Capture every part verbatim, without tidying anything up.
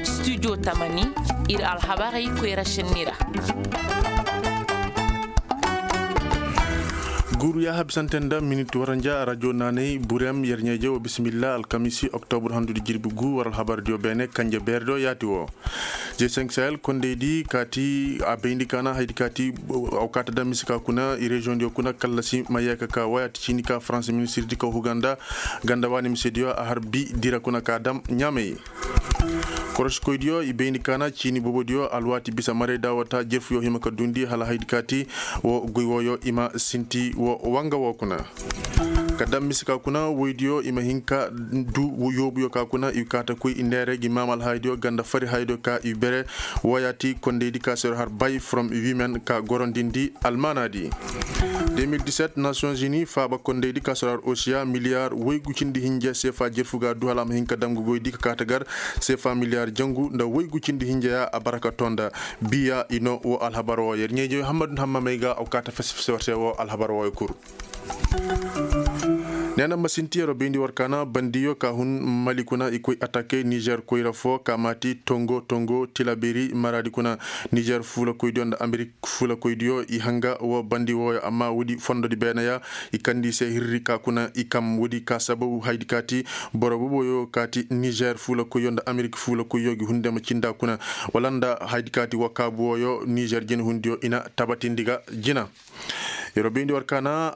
Studio tamani, ir alhabarey koyra šenni ra. Guuru yaaha bisante nda minit waranja rajo naanay burem yer ɲeeje wo bisimilla alkamisi oktobur handudi jirbi gu war alhabardiyo beene kanje beerediyo yaati wo. G cinq sahel kondeydi kaati a bayndi kaana haydi kaati. Aw kaata daŋ mise ka kuna i reziyoŋdiyo kuna kallasi ma yee ka ka waya ti ciini ka faransa ministirdi ka huganda ganda waani misediyo a har bi dira kuna ka daŋ ɲaamey. Korosikoydiyo i bayndi kaana ciini boobodiyo alwaati bisa maray daawata jerfuyo hima ka duundi hala haydi kaati wo goy wooyo i ma sinti wo wanga woo kuna. Ka daŋ mise ka kuna woydiyo i ma hin ka du yoobuyo ka kuna i kaata koy i neere gi maama alhaydiyo ganda fari haydiyo ka i bere. Wooyaati kondeydi ka sero har bay from women ka gorondindi almaanaadi. Deux mille dix-sept nations unies faaba kondeydi ka sero har osiya miliyar woygu cindi hinja seefa jerfu ga du hala a ma hin ka daŋ ga goydi ka kaata gar seefa miliyar jangu nda woygu cindi hinja ya a bara ka tonda. Biya i no wo alhabar wooyo yer ɲeeje hammadu hammamey ga aw kaata fese fese war se wo alhabar wooyo kuru. Neena masinti yeroo bayndi war kaana bandiyo ka hun mali kuna i koy atake nizer koyra foo ka maati tongo tongo tilaberi maraadi kuna. Nizer fuulakoydiyo nda amerik fuulakoydiyo i hanga woo bandi wooyo amma woodi fondodi beeneya i kandi i se hirri ka kuna i kam woodi ka sababu haydi kaati boro boboyo kaati nizer fuulakoyyo nda amerik fuulakoyyo gi hunde ma cinda kuna wala nda haydi kaati woo kaabu wooyo nizer jinahundiyo i na tabatindi ga jina. Yeroo bayndi war kaana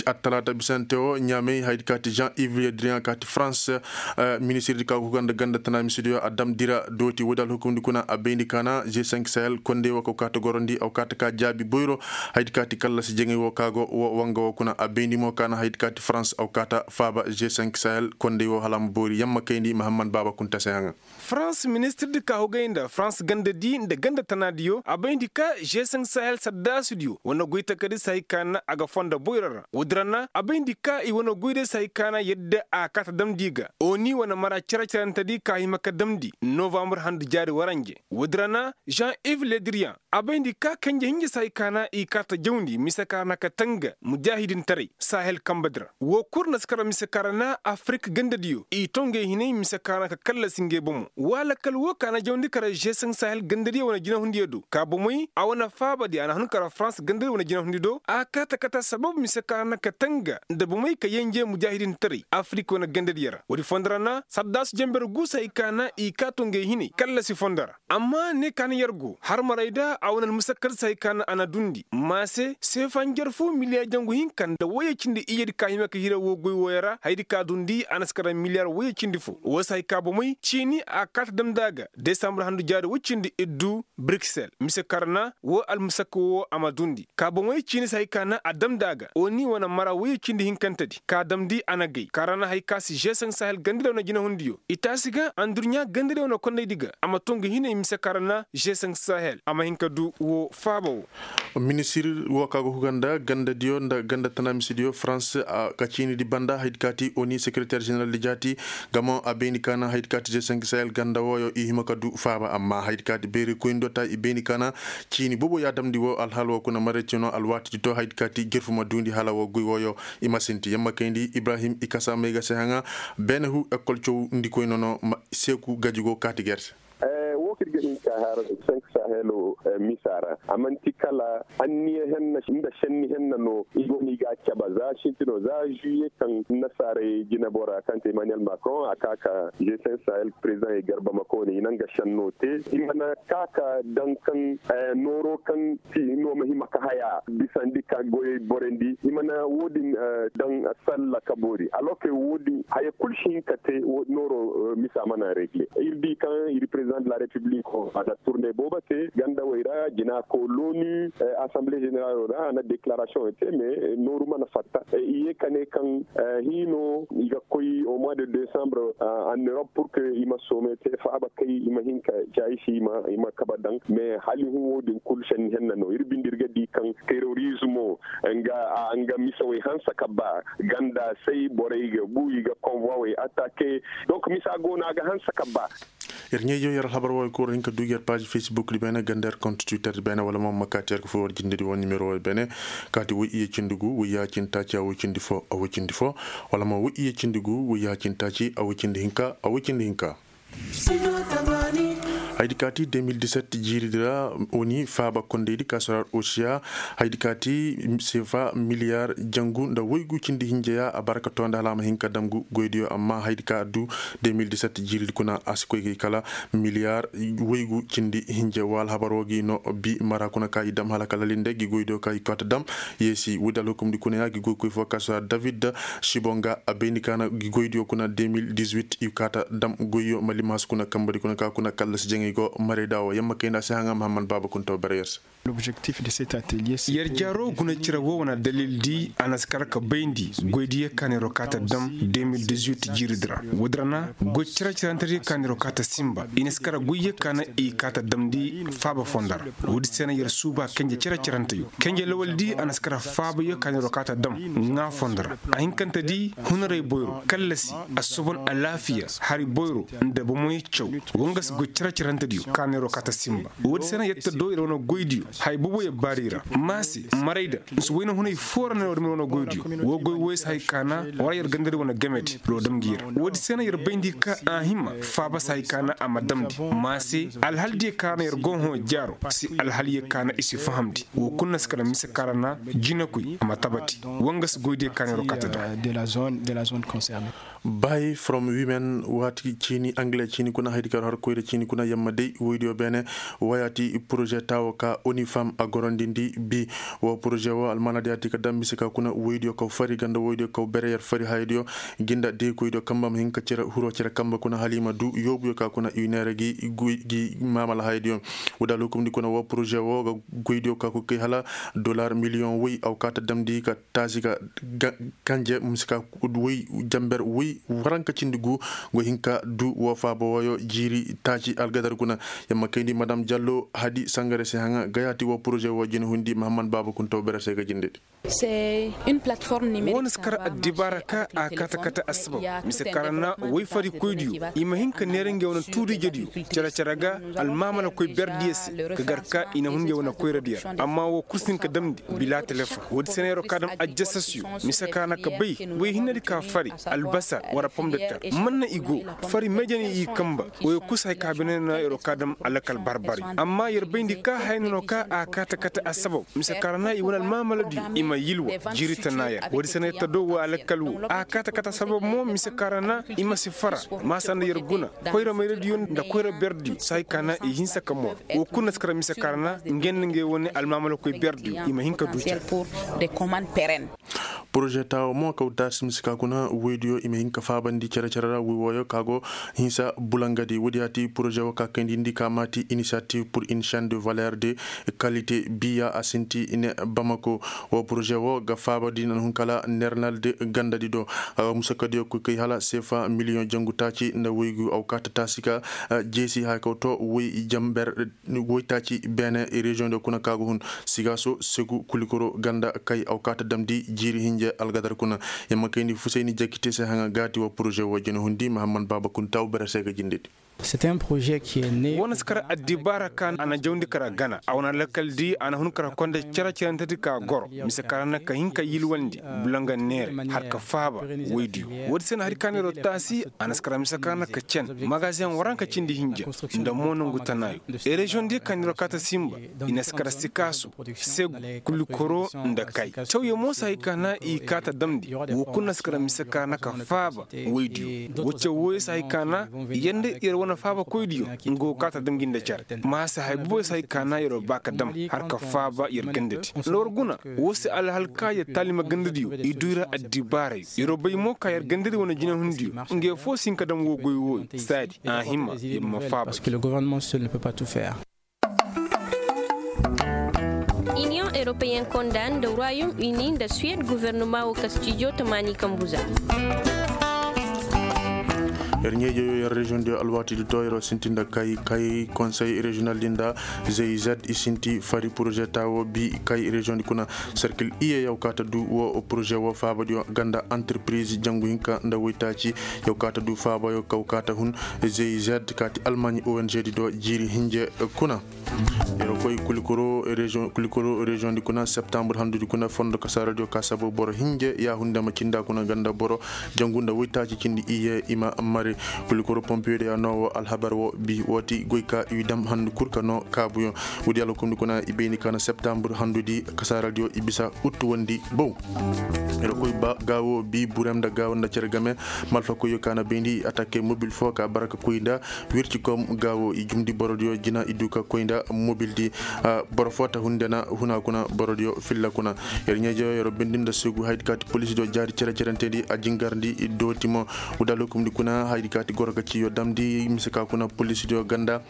attalaata bisante woo ɲaamey haydi kaati jean yves le drian kaati farans. Ministirdi ka go ga nda ganda tana misidiyo a damndi ra dooti woodi alhukumndi kuna a bayndi kaana g cinq sahel kondey woo ka kaata gorondi aw kaata ka jaabi boyro. Haydi kaati kallasi jaŋay woo ka go woo wanga woo kuna a bayndi mo kaana haydi kaati farans aw kaata faaba g cinq sahel kondey woo hala a ma boori yamma kayndi mahammad baaba kunta se haŋa. Farans ministirdi ka hugay nda farans gandadi nda ganda tanaadiyo a bayndi ka g cinq sahel saddaasudiyo wane goy takadi se hay ka na a ga fonda boyro ra woodi ra na a bayndi ka i wane goyday se hay ka na yadda a kaata damndi ga oni wane mara cere-cerentedi ka hima ka damndi novambar handu jaari waranje. Woodi ra na jean yves ledrian a bayndi ka kanje hinja se hay ka na i kaata jawndi mise ka ra na ka tanga mujaahidintaray sahel kambadi ra woo kul na si kar mise ka ra na afrik gandadiyo i tongey hinay mise ka ra na ka kallasi ngey bomo wala kala woo ka na jawndi kar g cinq sahel gandadiyo wane jinahundiyo do ka bomey a wane faabadi a na hun kar farans gandadi wane jinahundi do a kaata kata sabab mise ka ra na ka tanga nda bomey ka yenje mujaahidintaray afrik wane gandadiyo ra woodi fondo ra na saddaasu jenber gu se hay ka na i kaa tongey hinay kallasi fondo ra. Amma ne ka na yer go harmaray da a wane almusakkal se hay ka na a na duundi maase seefa njarfu miliyar jangu hinka nda woyey cindi iyyedi ka hima ka hira woo goy wooyo ra hayadi ka duundi a na si kara miliyar woyey cindi foo woo se hay ka bomey ciini a kaata damndi a ga desambur handu jaari woy cindi iddu bruksel mise ka ra na woo almusakka woo a ma duundi ka bomey ciini se hay ka na a damndi a ga oni wane mara woyey cindi hinkantedi ka damndi a na gay ka ra na hay ka si g cinq sahel gandadi wane jinahundiyo i taasi ga andurɲa gandadi wane kondaydi ga a ma too nga hinay mise ka ra na g cinq sahel a ma hin ka du woo faaba woo. Ministir woo ka go huga nda gandadiyo nda ganda tana misidiyo farans ka ciinidi banda hayadi kaati oni sekereter ženeraldi jaati. Gamo a bayndi ka na hayadi kaati g cinq sahel ganda wooyo i hima ka du faaba amma hayadi kaati beeri koyndi do ta i bayndi ka na ciini boobo ya damndi woo alhaal woo kuna maraycino alwaatidi to hayadi kaati jerfu ma duundi hala woo goy wooyo. I ma sinti yamma kayndi ibrahim i kasa may ga se haŋa beene hu ekol cawndi koy nono seeku gaji go kaati gerte. Woo kaŋ ir ga hin ka har cinq sahel misa ra a man'ti kala anniya henna nda senni henna no i go no i ga a cabe za sinti no za juye kaŋ nasaarey jinebora kaŋ te emmanuel macron a ka ka g cinq sahel president i garba ma koone i na nga senno te i mana ka ka daŋ kaŋ nooro kaŋ ti no ma hima ka haya bisandi ka goyey borandi i mana woodin daŋ salla ka boori alors que woodin haya kul si hin ka te nooro misa mana regle ir di kaŋ ir president de la république a na turne boobo te gandawey ra jina ko loni assemblée générale ra a na déclaration te mais nooru mana fatta i ye ka ne kaŋ hino i ga koy au mois de décembre en europe pour que i ma soome te faaba kay i ma hin ka caayi se i ma kabe daŋ mais hala i hun woodin kul senni henna no ir binde ir ga di kaŋ terrorismo nga misawey hanse ka ba ganda say borey ga bu i ga convoiwey attaqué. Donc misa go no a ga hanse ka ba. Yer ɲeejo yer alhabar wooyo kul ra hin ka du. Paazi facebook di beene ganda yer kont twitter di beene wala mo ma kaati yer ga fo war jindedi wo nimero wo beene. Kaati woy iyye cindi gu woy ya cindi taaci a woy cindi fo a woy cindi fo. Wala mo woy iyye cindi gu woy ya cindi taaci a woy cindi hinka a woy cindi hinka. Haydi kaati deux mille dix-sept jiiridi ra, oni faaba kondeydi ka sorar osiya. Haydi kaati sefa miliyar jangu nda woygu cindi hinja ya a bara ka too nda hala a ma hin ka dam gu goydiyo amma haydi ka addu deux mille dix-sept jiiridi kuna a si koy ga i kala miliyar woygu cindi hinja wa alhabar wo gi no. Bi mara kuna ka i dam hala ka lalinde gi goydiyo ka i koy ta dam. Yeesi woodi alhukumdi kuna ya gi goykoy fo ka sorar david sibonga a bayndi ka na gi goydiyo kuna deux mille dix-huit i ka ta dam goyyo malimaasu kuna kambadi kuna ka kuna kallasi jaŋay go marayda wo yamma kayndi a si haŋa mahamman baaba kuntaw bere yer se. Yer jaaro guna cire wo wane dalildi a na si kar ka bayndi goydiyo ka neero ka ta dam deux mille dix-huit jiiridi ra. Woodi ra na goy cire-cirantediyo ka neero ka ta sinba i na si kar goyyo ka na i ka ta damndi faaba fondo ra. Woodi se na yer suuba kenje cere-ciranteyo kenje lawaldi a na si kar faabayo ka neero ka ta dam ŋaa fondo ra. A hinkantedi hunaray boyro kallasi assobon alaafiya hari boyro nda bomoy caw. Wanga si goy cere-cirantediyo ka neero ka ta sinba. Woodi se na yer ta do yer wane goydiyo haya boobo yer baari ra. Maase marayda nsi wayna hunay foo ra no yer dumi yer wane goydiyo. Woo goy wooyo si hay ka na war yer gandadi wane gamedi roo dam gi yer. Woodi se na yer bayndi ka a hima faaba si hay ka na a ma damndi. Maase alhaldiyo ka na yer go hõ jaaro si alhalyo ka na i si fahamndi. Woo kul na si kala mise ka ra na jinakoy a ma tabati. Wanga si goydiyo ka na yer wo kaata dam. Bay from women waati ciini angale ciini kuna haydi kar har koyra ciini kuna yamma day woydiyo beene. Wayaati poroze taawo ka onifam a gorondindi bi. Woo poroze woo almaanadiyo a ti ka dam mise ka kuna woydiyo kaw fari ganda woydiyo kaw bere yer fari hayadiyo. Ginda deekoydiyo kamba ma hin ka cere huroo cere kamba kuna hala i ma duu yoobuyo ka kuna i neera gi maamala hayadiyo. Woodi alhukumdi kuna woo poroze woo ga goydiyo ka koy kay hala dollar miliyoŋ woy a wa kaa ta damndi ka taasi ga kanje mise ka woy jamber woy waranka cindi gu. Go hin ka duu woo faaba wooyo jiiri taaci algadar kuna. Yamma kayndi madam jallo hadi sangare se haŋa gayaati woo poroze woo jina hundi mahamman baaba kuntaw bere se ga jindedi. Woo na si kar addibaara ka a kata kata assabab mise ka ra na woy farikoydiyo i ma hin ka neera ngey wane tuuriijediyo cere-cere ga almaamalakoy berdiyo se ka gar ka i na hun ngey wane koyradiyo ra amma woo kul si hin ka damndi bila telefoŋ woodi se na yer'o ka dam ajjasasyo mise ka ra na ka bay woy hinnedi ka fari albasar wara pom de ter man na i go fari meejani i kamba woyo kul si hay ka bine na yer'o ka dam alakal barbari amma yer bayndi ka haya no ka a kata kata assabab mise ka ra na i wane almaamaladiyo i ma yilwa jiiri tana yer woodi se na yer ta do woo alakal woo a kata kata sabab mo mise ka ra na i ma si fara maasa nda yer guna koyra mayradiyo nda koyra berdiyo si hay ka na i hinsa ka mor woo kul na si kara mise ka ra na ngey nda ngey wane almaamalakoy berdiyo i ma hin ka duu care. Poroze taawo mo kaw taasi mise ka kuna woydiyo i ma hin ka faabandi cere-cere ra woy wooyo ka go hinsa bulangadi woodi ya ti poroze woo ka kayndi ndi ka maati inisiyativ pur ini shan de valeer de kalite biya a sinti ne bamako. Woo poroze woo ga faabandi nan hun kala neernal de gandadi do. Musakadiyo koy kay hala seefa miliyoŋ jangu taaci nda woygu a wa kaa ta taasi ka jeesi haya kaw to woy jamber woytaaci beene reziyoŋ do kuna ka ga hun sigaaso segu kulikoro ganda kay a wa kaa ta damndi jiiri hinja algadar kuna. Yamma kayndi fusayni jakite se haŋa gaati wa poroze woo jina hundi mahamman baaba kunta wa bere se ga jindedi. Woo na si kar addibaara ka a na jawndi kar a gana a wane lakkal di a na hun kar konda cere-cerentedi ka goro mise ka ra na ka hin ka yilwandi bulanga neere har ka faaba woydiyo. Woodi se na hari ka neeroo taasi a na si kar mise ka ra na ka cen magaziŋ waranka cindi hinja nda mo nongu tanaayo. Reziyoŋ diyo ka neeroo kaa ta sinba i na si kar sikaaso segu kulikoro nda kay cawyo mo si hay ka na i kaa ta damndi woo kul na si kar mise ka ra na ka faaba woydiyo. Woo caw wooyo si hay ka na yer nda yer wane faabakoydiyo nga woo kaa ta dam gi nda care. Maasa hay booboyo si hay ka na yer'o baa ka dam har ka faaba yer gandadi nda war guna woo se alhal ka yer taalima gandadiyo i duu i ra addibaarayo yer'o bay mo ka yer gandadi wane jinahundiyo. Ngey foo si hin ka dam woo goy wooyo saadi a hima yer ma faaba. Iniyoŋ eropeyen konda nda royom ini nda suwed gofornoma woo kastijo tamaani kambu za. Yer ɲeejoyo yer reziyoŋ diyo alwaati di to yer sinti nda kay kay konsey reziyonal di nda zey zed i sinti fari porozeta wo bi kay reziyoŋ di kuna. Serkil iye yaw kaata du wo poroze wo faaba diyo ganda antirpiriz jangu hinka nda woytaaci. Yaw kaata du faaba yo kaw kaata hun zey zed kaati almaɲi ong di do jiiri hinje kuna. Yer koy kulikoro reziyoŋ di kuna septambur handu di kuna fondo kasaara diyo ka sabu boro hinje ya hunde ma cinda kuna ganda boro jangu nda woytaaci cindi iye i ma mare. Kulikoro pompiyo diyo ya no wo alhabar wo bi wo ti goy ka i dam handu kul ka no kaabuyo. Wudi alhukum di kuna i bayni ka na septambur handu di kasaara diyo i bisa uttu wondi bow. Yer koy ba gaawo bi burem nda gaawo nda cere game. Malfakoyo ka na bayndi atake mobil fo ka bara ka koy nda wirci kom gaawo i jumndi borodiyo jina i du ka koy nda mobildi. Boro fo ta hunde na huna kuna borodiyo filla kuna. Yer ɲeejo yer bindi nda segu haydi kaati polisidiyo jaari cere-cerentendi a jingarndi dooti mo. Wudal hukumndi kuna haydi kaati goro ka ciyo damndi mise ka kuna polisidiyo ganda.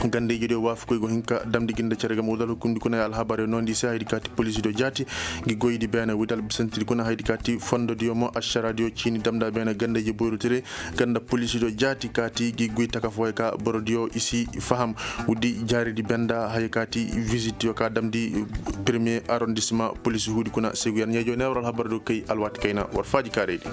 Gandayjediyo waafakoy go hin ka damndi gi nda cere game wudal hukumndi kuna ya alhabar yo noondi se haydi kaati polisidiyo jaati. Ngi goydi beene wudal bisantidi kuna haydi kaati fondodiyo mo ašaradiyo ciini damnda beene gandayje boyru tire. Ganda polisidiyo jaati kaati gi goy taka fooyo ka borodiyo i si faham. Wuddi jaaridi benda haya kaati visitiyo ka damndi premier arrondisma polisi huudi kuna segu yer ɲeejo ne war alhabardiyo kay alwaati kayna war faaji kaaraydi.